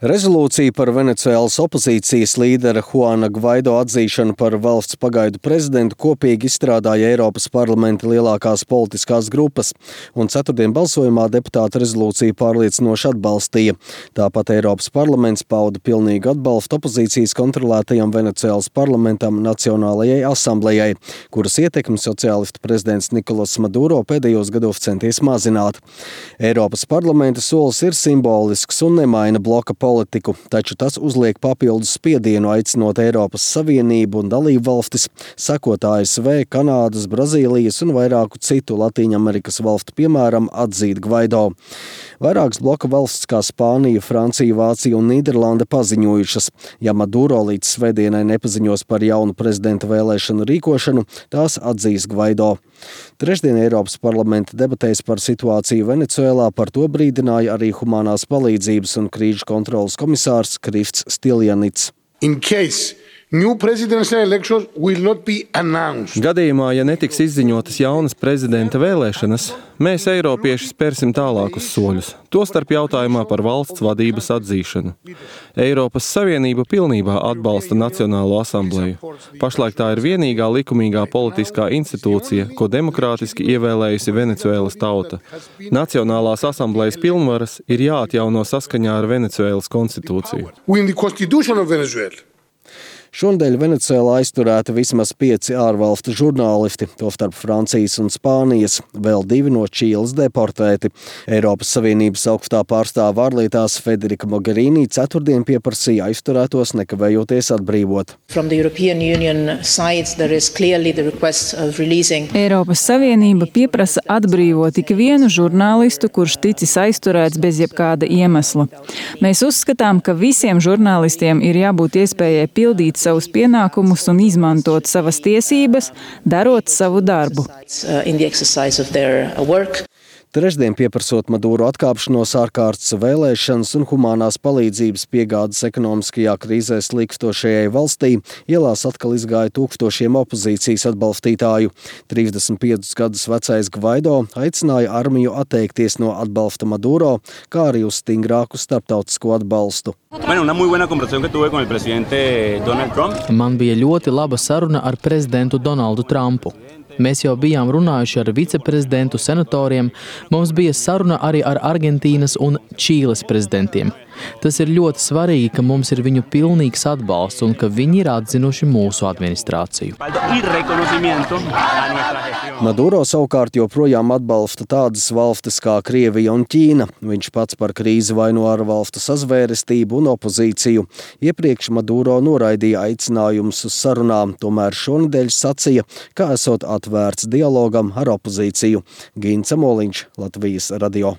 Rezolūcija par Venecuēlas opozīcijas līdera Juana Gvaido atzīšanu par valsts pagaidu prezidentu kopīgi izstrādāja Eiropas parlamenta lielākās politiskās grupas, un ceturtdien balsojumā deputāti rezolūciju pārliecinoši atbalstīja. Tāpat Eiropas parlaments pauda pilnīgu atbalstu opozīcijas kontrolētajam Venecuēlas parlamentam Nacionālajai asamblejai, kuras ietekmi sociālistu prezidents Nikolas Maduro pēdējos gados centies mazināt. Eiropas parlamenta solis ir simbolisks un nemaina bloka politiku, taču tas uzliek papildus spiedienu, aicinot Eiropas Savienību un dalību valstis, sekot ASV, Kanādas, Brazīlijas un vairāku citu Latīņamerikas valstu piemēram atzīt Gvaido. Vairākas bloka valsts kā Spānija, Francija, Vācija un Nīderlande paziņojušas, ja Maduro līdz svētdienai nepaziņos par jaunu prezidenta vēlēšanu rīkošanu, tās atzīs Gvaido. Trešdien Eiropas parlamenta debatēs par situāciju Venecuēlā par to brīdināja arī humanās palīdzības un krīžu kontrolas komisārs Krifts Stiljanits. Gadījumā, ja netiks izziņotas jaunas prezidenta vēlēšanas, mēs, eiropieši, spērsim tālākus soļus, tostarp jautājumā par valsts vadības atzīšanu. Eiropas Savienība pilnībā atbalsta Nacionālo asambleju. Pašlaik tā ir vienīgā likumīgā politiskā institūcija, ko demokrātiski ievēlējusi Venecuēlas tauta. Nacionālās asamblejas pilnvaras ir jāatjauno saskaņā ar Venecuēlas konstitūciju. Šonadēļ Venecuēlā aizturēti vismaz 5 ārvalstu žurnālisti, tostarp Francijas un Spānijas, vēl 2 no Čīles deportēti. Eiropas Savienības augstā pārstāve ārlietās Federica Mogherini ceturtdien pieprasīja aizturētos nekavējoties atbrīvot. Eiropas Savienība pieprasa atbrīvot ikvienu žurnālistu, kurš ticis aizturēts bez jebkāda iemesla. Mēs uzskatām, ka visiem žurnālistiem ir jābūt iespējai pildīt savus pienākumus un izmantot savas tiesības, darot savu darbu. Trešdien pieprasot Maduro atkāpšanos, ārkārtas vēlēšanas un humanās palīdzības piegādes ekonomiskajā krīzē slīkstošajai valstī, ielās atkal izgāja tūkstošiem opozīcijas atbalstītāju. 35 gadus vecais Gvaido aicināja armiju atteikties no atbalsta Maduro, kā arī uz stingrāku starptautisko atbalstu. Man bija ļoti laba saruna ar prezidentu Donaldu Trumpu. Mēs jau bijām runājuši ar viceprezidentu, senatoriem, mums bija saruna arī ar Argentīnas un Čīles prezidentiem. Tas ir ļoti svarīgi, ka mums ir viņu pilnīgs atbalsts un ka viņi ir atzinuši mūsu administrāciju. Maduro savukārt joprojām atbalsta tādas valstis kā Krievija un Ķīna. Viņš pats par krīzi vaino ārvalstu sazvērestību un opozīciju. Iepriekš Maduro noraidīja aicinājumus uz sarunām, tomēr šonedēļ sacīja, ka esot atvērts dialogam ar opozīciju. Gints Amoliņš, Latvijas radio.